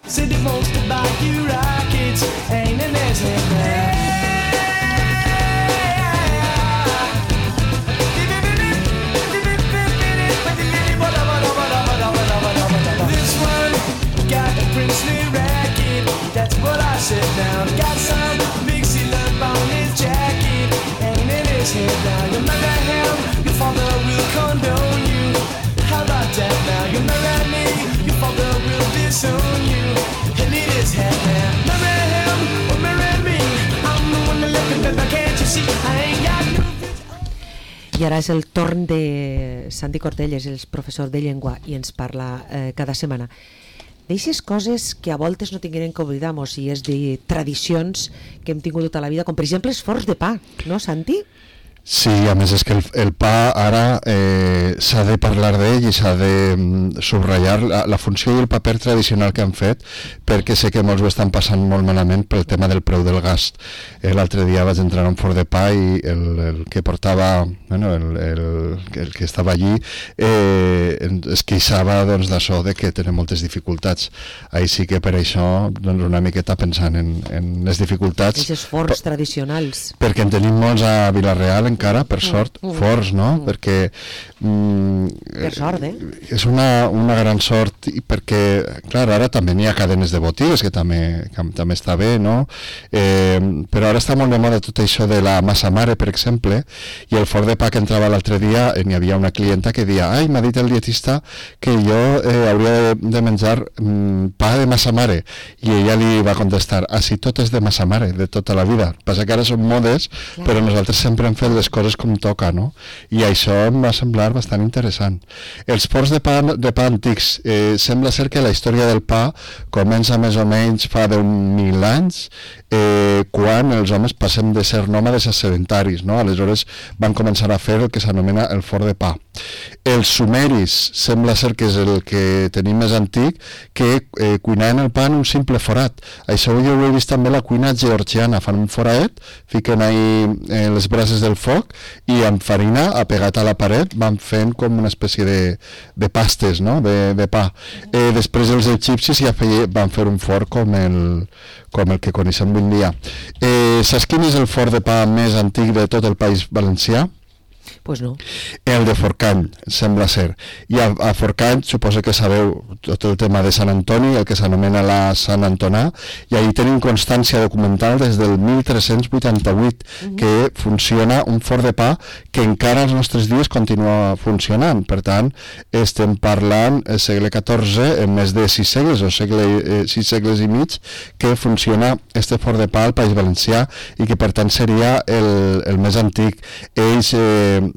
Said he wants to buy you rockets, ain't in his head now. This one got a princely racket, that's what I said down. Got some mixy love on his jacket, ain't in his head now. You marry him, your father will condone you. How about that now? You marry me, your father will disown you. He'll eat his head now. Marry him or marry me, I'm the one that left him, baby, can't you see? I ain't got no... I ara és el torn de Santi Cortelles, el professor de llengua, i ens parla cada setmana d'eixes coses que a voltes no tinguem que oblidar-nos, i és de tradicions que hem tingut tota la vida, com per exemple els forns de pa, no, Santi? Sí, a més és que el pa ara s'ha de parlar d'ell i s'ha de subratllar la funció i el paper tradicional que han fet, perquè sé que molts ho estan passant molt malament pel tema del preu del gas. L'altre dia vaig entrar a un forn de pa i el que portava, bueno, el que estava allí es queixava doncs, d'això, de que tenen moltes dificultats. Així que per això doncs, una miqueta pensant en les dificultats. Aquests forns tradicionals. Perquè en tenim molts a Vila-real encara, per sort, forts, no? Perquè per sort, és una gran sort, i perquè, clar, ara també n'hi ha cadenes de botigues, que també està bé, no? Però ara està molt de moda tot això de la massa mare, per exemple, i el forn de pa que entrava l'altre dia, n'hi havia una clienta que deia, ai, m'ha dit el dietista que jo hauria de menjar pa de massa mare, i ella li va contestar, si tot és de massa mare, de tota la vida. Passa que ara són modes, però nosaltres sempre hem fet les coses com toca, no? I això em va semblar bastant interessant. Els forns de pa antics, sembla ser que la història del pa comença més o menys fa 10.000 anys, quan els homes passem de ser nòmades a sedentaris, no? Aleshores van començar a fer el que s'anomena el forn de pa. Els sumeris sembla ser que és el que tenim més antic, que cuinaven el pa en un simple forat. Això jo ho he vist també a la cuina georgiana, fan un foradet, fiquen ahí les brases del foc i amb farina apegat a la paret van fent com una espècie de pastes, no? de pa. Després els egipcis ja van fer un forn com el que coneixem avui dia. Saps quin és el forn de pa més antic de tot el País Valencià? Pues no. El de Forcall, sembla ser. I a Forcall, suposo que sabeu tot el tema de Sant Antoni, el que s'anomena la Sant Antonà, i ahí tenim constància documental des del 1388 que funciona un forn de pa que encara als nostres dies continua funcionant. Per tant, estem parlant segle XIV, en més de 6 segles o 6 segles i mig, que funciona este forn de pa al País Valencià i que per tant seria el més antic. Ells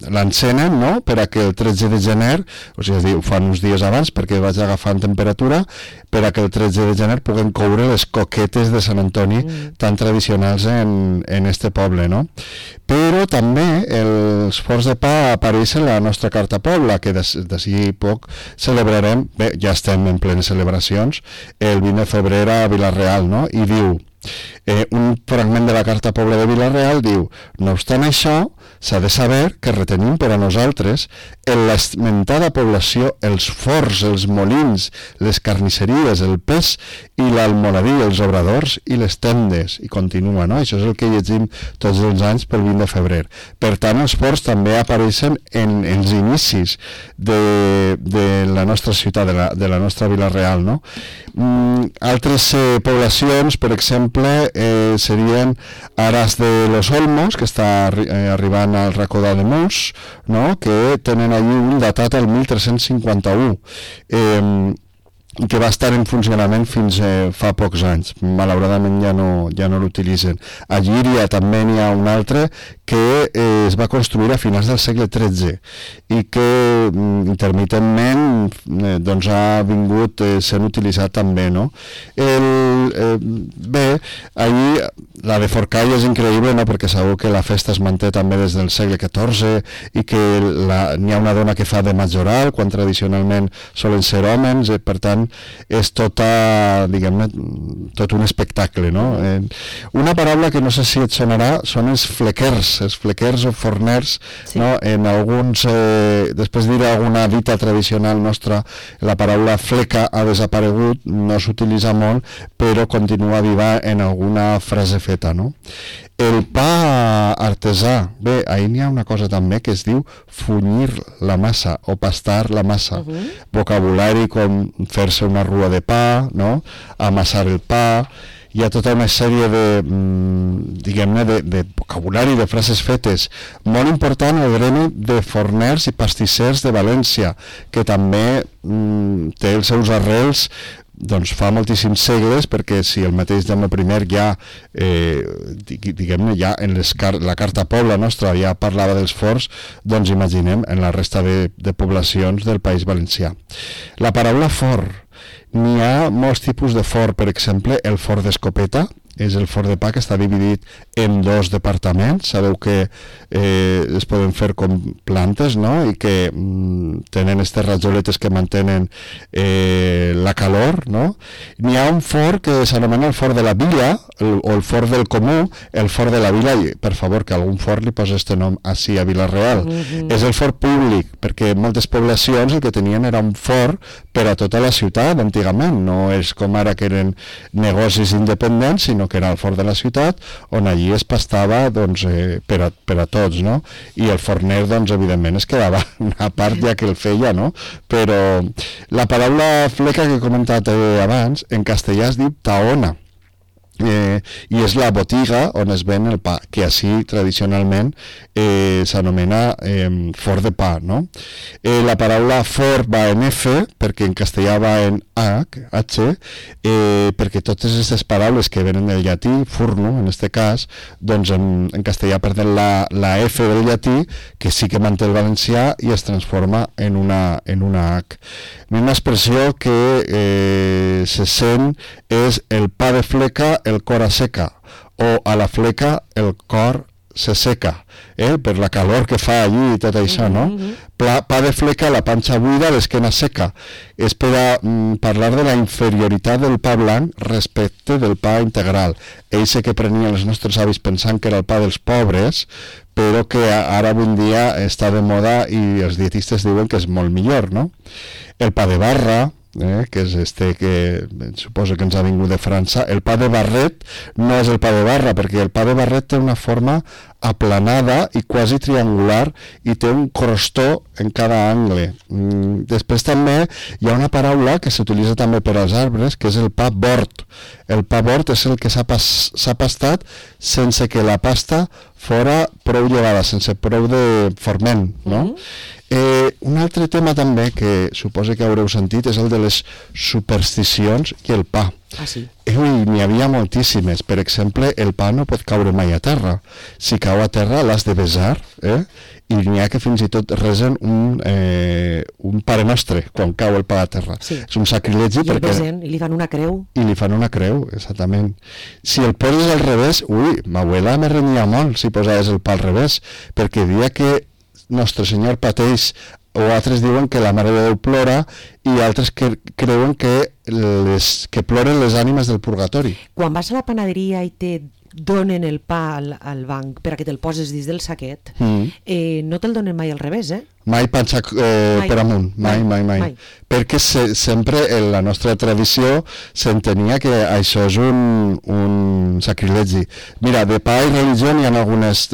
l'encenen, no?, per a que el 13 de gener, o sigui, ho fan uns dies abans perquè vaig agafant temperatura, per a que el 13 de gener puguen coure les coquetes de Sant Antoni tan tradicionals en este poble, no? Però també els forns de pa apareixen a la nostra Carta Pobla, que d'ací poc celebrarem, bé, ja estem en plenes celebracions, el 20 de febrer a Vila-real, no?, i diu, un fragment de la Carta Pobla de Vila-real diu, no obstant això, s'ha de saber que retenim per a nosaltres en l'esmentada població els forns, els molins, les carnisseries, el pes i l'almoradí, els obradors i les tendes, i continua, no? Això és el que llegim tots els anys pel 20 de febrer. Per tant, els forns també apareixen en els inicis de la nostra ciutat, de la nostra Vila-real, no? Altres poblacions, per exemple, serien Aras de los Olmos, que està arribant al racó d'Ademús, no?, que tenen allí un datat al 1351, que va estar en funcionament fins fa pocs anys. Malauradament ja no l'utilitzen. A Llíria també n'hi ha un altre que es va construir a finals del segle XIII i que intermitentment doncs ha vingut sent utilitzat també, no? Bé, allí la de Forcall és increïble, no?, perquè sabeu que la festa es manté també des del segle XIV i que n'hi ha una dona que fa de majoral quan tradicionalment solen ser homes, per tant realment és tota, diguem-ne, tot un espectacle, no? Una paraula que no sé si et sonarà són els flequers o forners, sí. No? En alguns, després diré alguna dita tradicional nostra, la paraula fleca ha desaparegut, no s'utilitza molt, però continua viva en alguna frase feta, no? El pa artesà, bé, ahir n'hi ha una cosa també que es diu funyir la massa o pastar la massa. Vocabulari com fer-se una rua de pa, no? Amassar el pa, hi ha tota una sèrie de, diguem-ne, de vocabulari, de frases fetes. Molt important el gremi de forners i pastissers de València, que també té els seus arrels doncs fa moltíssims segles, perquè si el mateix Jaume I ja, diguem-ne, ja en la Carta Pobla nostra ja parlava dels forns, doncs imaginem en la resta de poblacions del País Valencià. La paraula forn, n'hi ha molts tipus de forn, per exemple, el forn d'escopeta, és el forn de pa que està dividit en dos departaments. Sabeu que es poden fer com plantes, no? I que tenen aquestes rajoletes que mantenen la calor, no? N'hi ha un forn que s'anomena el forn de la vila o el forn del comú, el forn de la vila, i per favor que algun forn li posa este nom així a Vila-real. És el forn públic, perquè moltes poblacions el que tenien era un forn per a tota la ciutat antigament, no és com ara que eren negocis independents, sinó que era el forn de la ciutat, on allí es pastava doncs, per a tots, no? I el forner, doncs, evidentment, es quedava una part ja que el feia, no? Però la paraula fleca que he comentat abans, en castellà es diu taona, i és la botiga on es ven el pa, que així tradicionalment s'anomena forn de pa, no? La paraula forn va en F, perquè en castellà va en H, perquè totes aquestes paraules que venen del llatí, furno, en este cas, doncs en castellà perden la F del llatí, que sí que manté el valencià i es transforma en una H. Una expressió que se sent és el pa de fleca, el cor asseca, o a la fleca el cor se seca, per la calor que fa allí i tot això, no? Pa de fleca, la panxa buida, l'esquena seca. És per a parlar de la inferioritat del pa blanc respecte del pa integral. Eixe que prenien els nostres avis pensant que era el pa dels pobres, però que ara avui en dia està de moda i els dietistes diuen que és molt millor, no? El pa de barra, que és este que suposo que ens ha vingut de França. El pa de barret no és el pa de barra, perquè el pa de barret té una forma aplanada i quasi triangular i té un crostó en cada angle. Després també hi ha una paraula que s'utilitza també per als arbres, que és el pa bord. El pa bord és el que s'ha pastat sense que la pasta fora prou llevada, sense prou de forment, no? Un altre tema també que suposo que haureu sentit és el de les supersticions i el pa. Ah, sí? N'hi havia moltíssimes. Per exemple, el pa no pot caure mai a terra. Si cau a terra l'has de besar, i n'hi ha que fins i tot resen un Pare Nostre quan cau el pa a terra. Sí. És un sacrilegi I perquè... I li fan una creu. I li fan una creu, exactament. Si el poses al revés, ma abuela me renyia molt si posaves el pa al revés, perquè dia que Nostre Senyor pateix, o altres diuen que la Mare de Déu plora, i altres que creuen que ploren les ànimes del purgatori. Quan vas a la panaderia i te donen el pa al banc per a que te'l poses dins del saquet, no te'l donen mai al revés, Mai panxa per amunt, mai. Perquè sempre en la nostra tradició s'entenia que això és un sacrilegi. Mira, de pa i religió hi ha algunes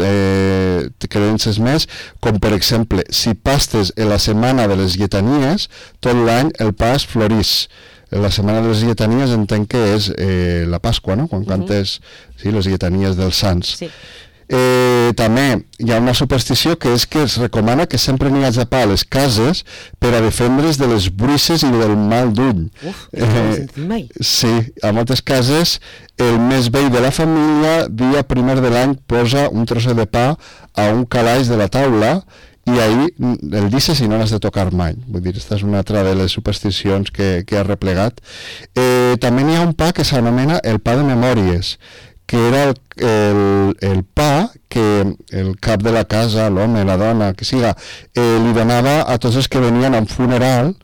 creences més, com per exemple, si pastes en la setmana de les lletanies, tot l'any el pa es florís. La setmana de les lletanies entenc que és la Pasqua, no? Quan cantes les lletanies dels sants. Sí. També hi ha una superstició que és que es recomana que sempre n'hi hagi pa a les cases per a defendre's de les bruixes i del mal d'ull. Sí, a moltes cases el més vell de la família dia primer de l'any posa un trosset de pa a un calaix de la taula i ahir el deixa si no l'has de tocar mai. Vull dir, aquesta és una altra de les supersticions que ha replegat. També n'hi ha un pa que s'anomena el pa de memòries, que era el pa que el cap de la casa, l'home, la dona, que siga, li donava a tots els que venien a un funeral,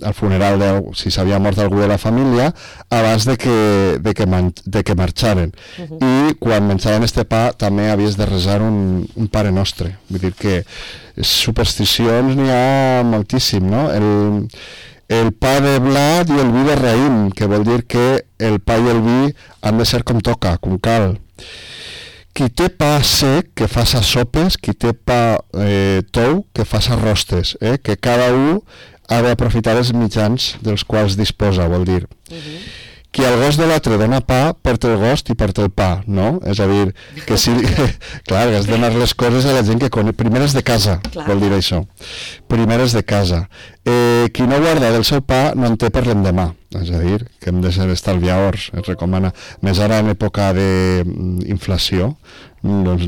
al funeral, si s'havia mort algú de la família, abans de que marxaren. I quan menjaven este pa també havies de resar un Pare Nostre. Vull dir que supersticions n'hi ha moltíssim, no? El pa de blat i el vi de raïm, que vol dir que el pa i el vi han de ser com toca, com cal. Qui té pa sec, que faça sopes, qui té pa tou, que faça rostes, que cada un ha d'aprofitar els mitjans dels quals disposa, vol dir. Qui al gos de l'altre dona pa, perd el gost i perd el pa, no? És a dir, que si... clar, has de donar les coses a la gent que coneix. Primeres de casa, vol dir això. Primeres de casa. Qui no guarda del seu pa no en té per l'endemà. És a dir, que hem de ser estalviadors, es recomana. Més ara en època d'inflació, doncs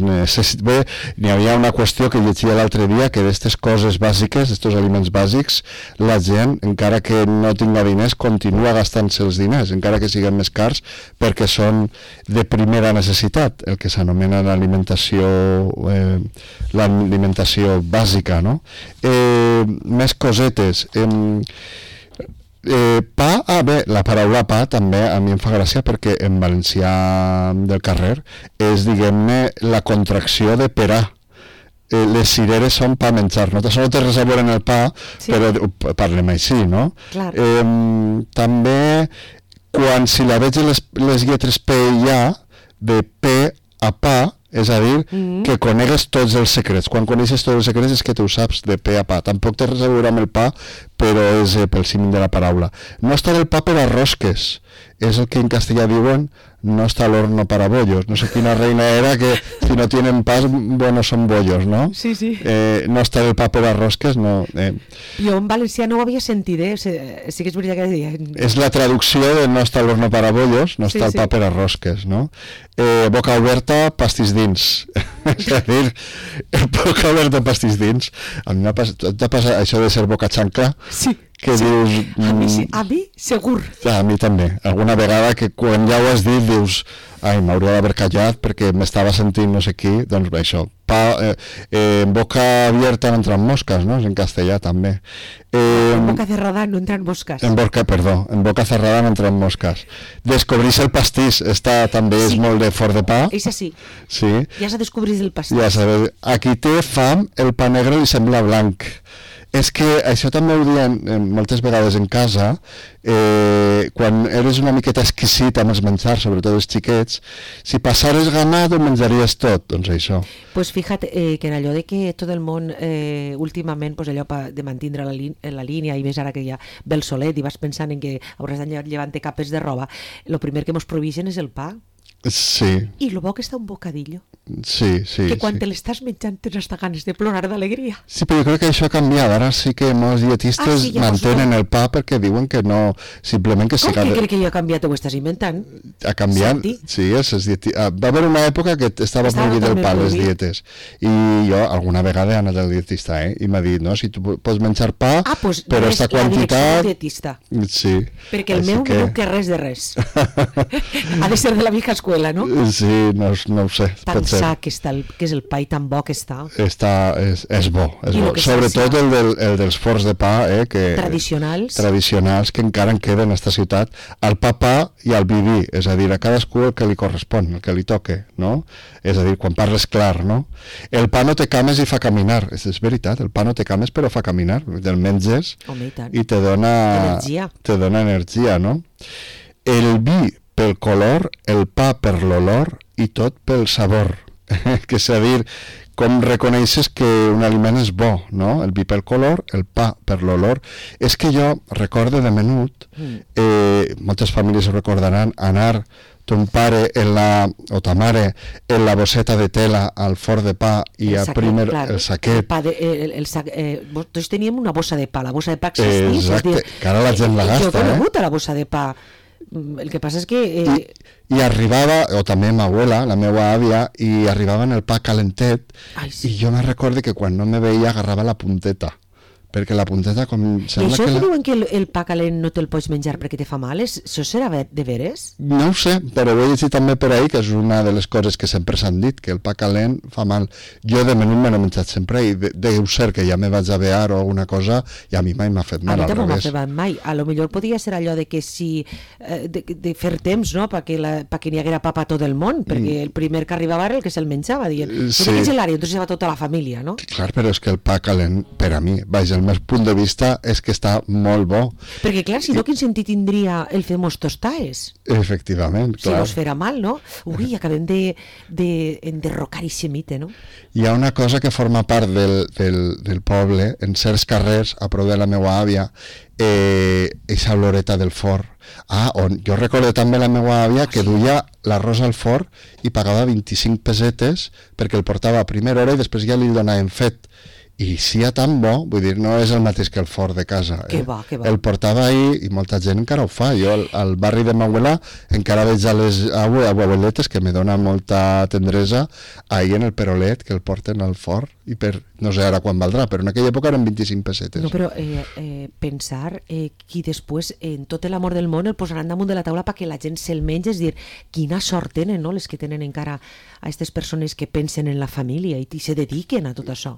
bé, n'hi havia una qüestió que llegia l'altre dia, que d'aquestes coses bàsiques, d'aquests aliments bàsics, la gent, encara que no tinga diners, continua gastant-se els diners, encara que siguin més cars, perquè són de primera necessitat, el que s'anomena l'alimentació bàsica, no? Més cosetes. Pa, bé, la paraula pa també a mi em fa gràcia perquè en valencià del carrer és, diguem-ne, la contracció de perà. Les cireres són pa menjar, no? Això no té res a veure en el pa, però parlem així, no? També, quan si la veig les lletres P i A, de P a pa, és a dir, que conegues tots els secrets. Quan coneixes tots els secrets és que tu saps de pe a pa. Tampoc té res a veure amb el pa, però és pel símil de la paraula. No està el pa per a rosques. És el que en castellà diuen no está al horno para bollos. No sé quina reina era que si no tienen pas, bueno, son bollos, ¿no? Sí, sí. No està el pa per a rosques, no. Jo en valencià no ho havia sentit, sí que és veritat que deia... És la traducció de no està el horno para bollos, no està el pa per a rosques, no? Boca oberta, pastís dins. És a dir, boca oberta, pastís dins. A mi m'ha passat això de ser boca xancla. Sí. Que dius... A mi segur. A mi també. Alguna vegada que quan ja ho has dit dius ai, m'hauria d'haver callat perquè m'estava sentint no sé qui, doncs bé, això. En boca abierta no entran mosques, no? És en castellà també. En boca cerrada no entran mosques. En boca cerrada no entran mosques. Descobrir el pastís, també és molt de fort de pa. És així. Sí. Ja s'ha descobrit el pastís. Ja sabeu. Aquí té fam, el pa negre li sembla blanc. És que això també ho diuen moltes vegades en casa, quan eres una miqueta exquisit amb els menjars, sobretot els xiquets, si passares gana ho menjaries tot, doncs això. Pues fíjate que en allò de que tot el món últimament, pues allò de mantindre la línia i més ara que ja ve el solet i vas pensant en que hauràs d'anar llevant capes de roba, el primer que mos prohibeixen és el pa. Sí. I lo bo que està un bocadillo. Sí. Que quan te l'estàs menjant tens hasta ganes de plorar d'alegria. Sí, però jo crec que això ha canviat. Ara sí que molts dietistes mantenen el pa perquè diuen que no, simplement que... Com que crec que ja ha canviat, ho estàs inventant? Ha canviat, sí, va haver una època que estava prohibit el pa a les dietes. I jo alguna vegada he anat al dietista, i m'ha dit, no, si tu pots menjar pa, però aquesta quantitat... La dietista. Sí. Perquè el meu no diu que res de res. Ha de ser de la vieja escuela, no? Sí, no ho sé. Pensar que és el pa i tan bo que està. És bo. Sobretot el dels forns de pa, tradicionals que encara en queden en aquesta ciutat, el pa i el vi, és a dir, a cadascú el que li correspon, el que li toque, no? És a dir, quan parles clar, no? El pa no té cames i fa caminar, és veritat, el pa no té cames però fa caminar, te'l menges i te dona energia, no? El vi pel color, el pa per l'olor i tot pel sabor. Que és a dir, com reconeixes que un aliment és bo, no? El vi pel color, el pa per l'olor. És que jo recordo de menut, moltes famílies ho recordaran, anar ton pare o ta mare en la bosseta de tela al forn de pa i a primer el saquet. Tots teníem una bossa de pa, la bossa de pa existís. Exacte, que ara la gent la gasta. Jo he conegut a la bossa de pa. El que passa és que... I arribava, o també ma abuela, la meva àvia, i arribava en el pa calentet, i jo me recordo que quan no me veia agarrava la punteta, perquè la punteta com... I Sembla això que que diuen que el pa calent no te'l pots menjar perquè te fa mal, això serà de veres? No ho sé, però ho he llegit també per ahí, que és una de les coses que sempre s'han dit, que el pa calent fa mal. Jo de menut me l'he menjat sempre i deu ser que ja me vaig avear o alguna cosa i a mi mai m'ha fet mal, al revés. A mi tampoc m'ha fet revés. mal mai. A lo millor podria ser allò de que si... de fer temps, no?, perquè n'hi haguera pa per tot el món, perquè el primer que arribava era el que se'l menjava, dient, Sí. no tinguis l'àrea, entonces va tota la família, no? Clar, però és que el pa calent, per a mi, vaja, el meu punt de vista és que està molt bo. Perquè, clar, si no, quin sentit tindria el fer-mos tostaes? Efectivament, Si clar. mos farà mal, no? Ui, acabem d'enderrocar ixe mite, no? Hi ha una cosa que forma part del poble, en certs carrers, a prop de la meva àvia, eixa oloreta del forn. On jo recordo també la meva àvia que duia l'arròs al forn i pagava 25 pessetes perquè el portava a primera hora i després ja li donaven fet. I si ja tan bo, vull dir, no és el mateix que el forn de casa. Que va, que va. El portava ahí i molta gent encara ho fa. Jo al barri de Mauela encara veig a les abueletes que me dona molta tendresa ahí en el perolet que el porten al forn i per, no sé ara quan valdrà, però en aquella època eren 25 pessetes. No, però pensar qui després en tot l'amor del món el posaran damunt de la taula perquè la gent se'l menja, és dir, quina sort tenen, no?, les que tenen encara a aquestes persones que pensen en la família i se dediquen a tot això.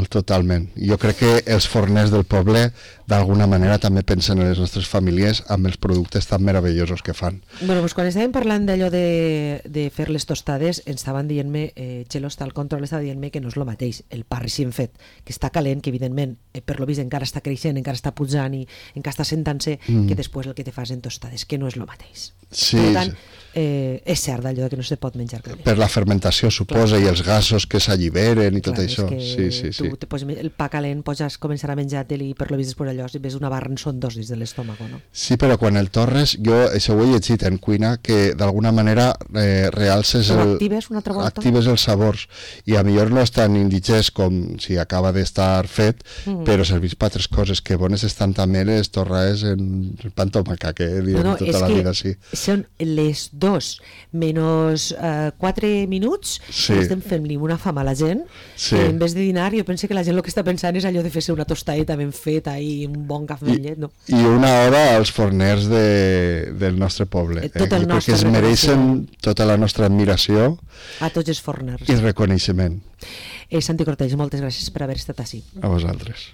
Totalment. Jo crec que els forners del poble d'alguna manera també pensen en les nostres famílies amb els productes tan meravellosos que fan. Bueno, doncs quan estàvem parlant d'allò de fer les tostades, ens estaven dient-me, Txelo està al control, estava dient-me que no és el mateix, el pa recient fet, que està calent, que evidentment per lo vist encara està creixent, encara està pujant i encara està sentant-se, que després el que te fas en tostades, que no és el mateix. Sí, per tant, és cert allò que no se pot menjar calent. Per la fermentació, suposa, i els gasos que s'alliberen i tot Clar, això. Sí. Tu te poses el pa calent, pots començar a menjar-te'l i per lo vist després allò, si ves una barra en són dos dins de l'estómago, no? Sí, però quan el torres, jo això ho he llegit en cuina, que d'alguna manera realces actives una altra volta. Actives els sabors, i a millor no és tan indigest com si acaba d'estar fet, però servís per altres coses, que bones estan també les torres en pa amb tomaca, que diem tota la vida, sí. Són les 2 menys 4 minuts Sí. i estem fent-li una fam a la gent, Sí. que en vez de dinar jo penso que la gent el que està pensant és allò de fer-se una tostadeta ben feta i un bon cafè amb llet, no? I una hora als forners del nostre poble. Tot el Jo crec que nostre es mereixen tota la nostra admiració A tots els forners. i reconeixement. Santi Cortells, moltes gràcies per haver estat així. A vosaltres.